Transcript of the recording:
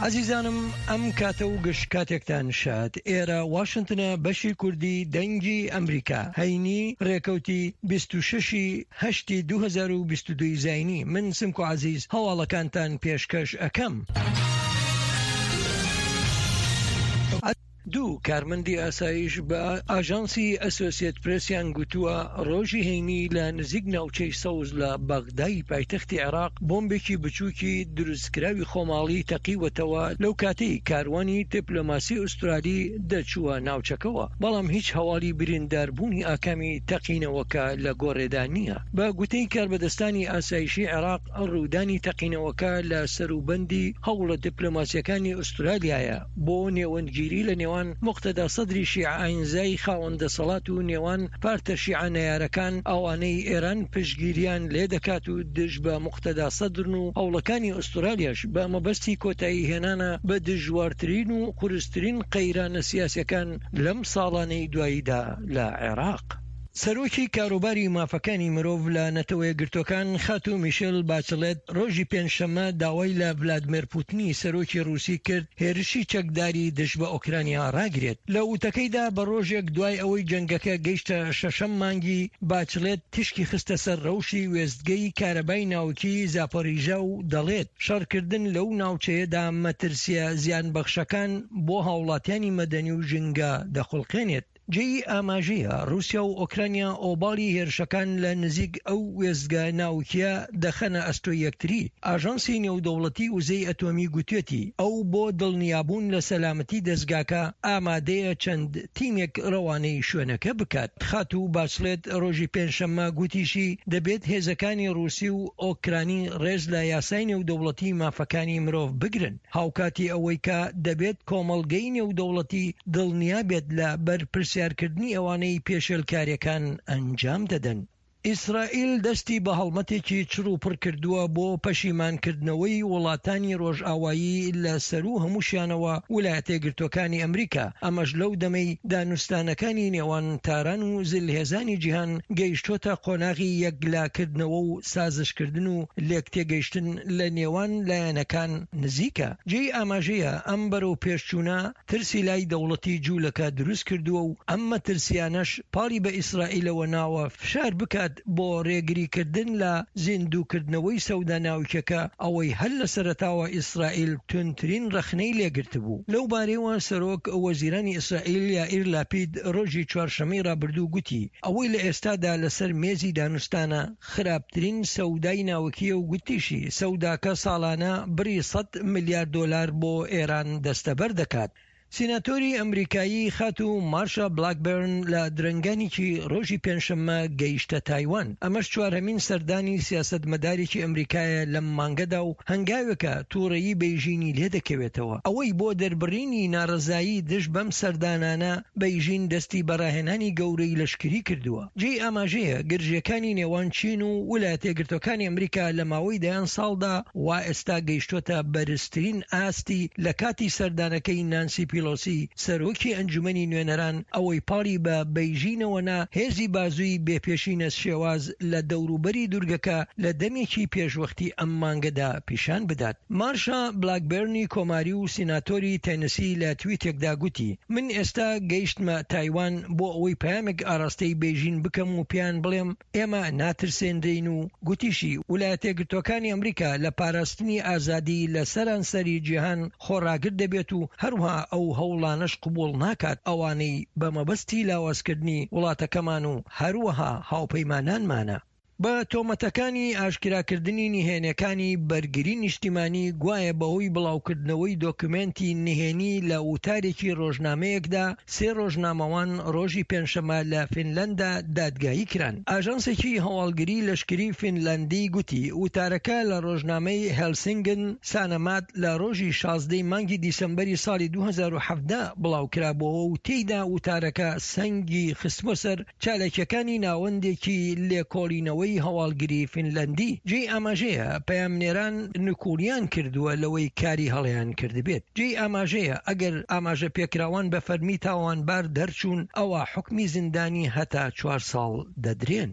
ئازیزانم ئەم کاتە و گشت کاتێکتان شاد. ئێرە واشنتنە بەشی کوردی دەنگی ئەمریکا هەینی ڕێکەوتی 26 ی هەشتی 2022 زینی من سمکۆ عەزیز هەواڵەکانتان پێشکەش ئەکەم. دوو کارمەندی ئاسایش بە ئاژانسی ئەسۆسیەت پرێسیان گوتووە، ڕۆژی هەینی لە نزیک ناوچەی سەوز لە بەغدای پایتەختی عێراق بۆمبێکی بچووکی دروستکراوی خۆماڵی تەقیوەتەوە لەو کاتەی کاروانی دیپلۆماسی ئوسترالی دەچووە ناوچەکەوە، بەڵام هیچ هەواڵی برینداربوونی ئاکامی تەقینەوەکە لە گۆڕێدا نییە. بە گوتەی کاربەدەستانی ئاسایشی عێراق، ڕوودانی تەقینەوەکە لە سەروبەندی هەوڵە دیپلۆماسییەکانی ئوسترالیایە بۆ نێوەندگیری لە نێوان موقتەدا سەدری شیعە ئاینزای خاوەن دەسەڵات و نێوان پارتە شیعە نەیارەکان ئەوانەی ئێران پشتگیریان لێدەکات و دژ بە موقتەدا سەدرن و هەوڵەکانی ئوسترالیاش بە مەبەستی کۆتایی هێنانە بە دژوارترین و قورسترین قەیرانە سیاسیەکان لەم ساڵانەی دواییدا لە عێراق. سەرۆکی کاروباری مافەکانی مرۆڤ لە نەتەوەیەکگرتووەکان خاتوو میشێل باچڵێت ڕۆژی پێنجشەممە داوای لە ڤلادمێر پوتنی سەرۆکی ڕووسی کرد هێرشی چەکداری دژ بە ئۆکرانیا ڕاگرێت. لە وتەکەیدا بە ڕۆژێک دوای ئەوەی جەنگەکە گەیشتە شەشەم مانگی، باچڵێت تیشکی خستە سەر ڕەوشی وێستگەی کارەبای ناوکیی زاپۆریژا و دەڵێت شەڕکردن لەو ناوچەیەدا مەترسییە زیانبەخشەکان بۆ هاوڵاتیانی مەدەنی و ژینگە دەخوڵقێنێت. جێی ئاماژەیە، ڕووسیا و ئۆکرانیا ئۆباڵی هێرشەکان لە نزیک ئەو وێستگە ناوکییە دەخەنە ئەستۆی یەکتری. ئاژانسی نێودەوڵەتی وزەی ئەتۆمی گوتوێتی، ئەو بۆ دڵنیابوون لە سەلامەتی دەزگاکە ئامادەیە چەند تیمێک ڕەوانەی شوێنەکە بکات. خاتوو باچڵێت ڕۆژی پێنجشەممە گوتیشی، دەبێت هێزەکانی ڕووسی و ئۆکرانی ڕێز لە یاسای نێودەوڵەتی مافەکانی مرۆڤ بگرن. هاوکاتی ئەوەی کە دەبێت کۆمەڵگەی نێودەوڵەتی دڵنیا بێت لە بەرپرسیارکردنی ئەوانەی پێشێلکارییەکان ئەنجام دەدەن. ئیسرائیل دەستی بە هەڵمەتێکی چڕ و پڕ کردووە بۆ پەشیمانکردنەوەی وڵاتانی ڕۆژئاوایی لە سەروو هەمووشیانەوە ولایەتەیەکگرتووەکانی ئەمریکا، ئەمەش لەو دەمەی دانوستانەکانی نێوان تاران و زلهێزانی جیهان گەیشتۆتە قۆناغی یەکلاکردنەوە و سازشکردن و لێکتێگەیشتن لە نێوان لایەنەکان نزیکە. جێی ئاماژەیە ئەم بەرەو پێشچوونە ترسی لای دەوڵەتی جوولەکە دروست کردووە و ئەم مەترسیانەش پاڵی بە ئیسرائیلەوە ناوە فشار بکات بۆ رێگریکردن لە زیندووکردنەوەی سەودا ناوکیەکە ئەوەی هەر لە سەرەتاوە ئیسرائیل توندترین رەخنەی لێگرتبوو. لەو بارەیەوە سەرۆک وەزیرانی ئیسرائیل یائیر لاپید رۆژی چوارشەممەی رابردوو گوتی ئەوەی لە ئێستادا لەسەر مێزی دانوستانە خراپترین سەودای ناوکییە و گوتیشی، سەوداکە ساڵانە بڕی سەد ملیار دۆلار بۆ ئێران دەستەبەر دەکات. سیناتۆری ئەمریکایی خاتوو مارشا بلاکبێرن لە درەنگانێکی ڕۆژی پێنجشەممە گەیشتە تایوان، ئەمەش چوارهەمین سەردانی سیاسەتمەدارێکی ئەمریکایە لەم مانگەدا و هەنگاوێکە تووڕەیی بەیژینی لێدەکەوێتەوە. ئەوەی بۆ دەربڕینی ناڕەزایی دژ بەم سەردانانە بەیژین دەستی بە ڕاهێنانی گەورەی لەشکری کردووە. جێی ئاماژەیە گرژییەکانی نێوان چین و ولایەتەیەکگرتووەکانی ئەمریکا لە ماوەی دەیان ساڵدا وا ئێستا گەیشتووەتە بەرزترین ئاستی لە کاتی سەردانەکەی نانسی پیڵۆسی سەرۆکی ئەنجومەنی نوێنەران ئەوەی پاڵی بە بەیژینەوە نا هێزی بازووی بێ پێشینە شێواز لە دەوروبەری دورگەکە لە دەمێکی پێشوەختی ئەم مانگەدا پیشان بدات. مارشا بلاکبێرنی کۆماری و سیناتۆری تێنسی لە تویتێکدا گوتی، من ئێستا گەیشتمە تایوان بۆ ئەوەی پەیامێک ئاراستەی بەیژین بکەم و پێیان بڵێم ئێمە ناترسێنرێین و گوتیشی، ولایەتەیەکگرتووەکانی ئەمریکا لە پاراستنی ئازادی لە سەرانسەری جیهان خۆڕاگر دەبێت و هەروەها ئەو هەوڵانەش قبوڵ ناکات ئەوانەی بە مەبەستی لاوازکردنی وڵاتەکەمان و هەروەها هاوپەیمانانمانە. بە تۆمەتەکانی ئاشکراکردنی نهێنیەکانی بەرگری نیشتیمانی گوایە بەهۆی بڵاوکردنەوەی دۆکومێنتی نهێنی لە وتارێکی ڕۆژنامەیەکدا سێ ڕۆژنامەوان ڕۆژی پێنجشەممە لە فینلەندا دادگایی کران. ئاژانسێکی هەواڵگری لەشکری فینلەندی گوتی وتارەکە لە ڕۆژنامەی هێلسینگن سانەمات لە ڕۆژی 16 ی مانگی دیسەمبەری ساڵی 2017 بڵاوکرابۆوە و تێیدا وتارەکە سەنگی خستبوە سەر چالاکییەکانی ناوەندێکی لێکۆڵینەوەی هەواڵگری فینلەندی. جێی ئاماژەیە پەیامنێران نکوڵیان کردووە لەوەی کاری هەڵەیان کردبێت. جێی ئاماژەیە ئەگەر ئاماژەپێکراوان بە فەرمی تاوانبار دەرچوون ئەوا حوکمی زیندانی هەتا چوار ساڵ دەدرێن.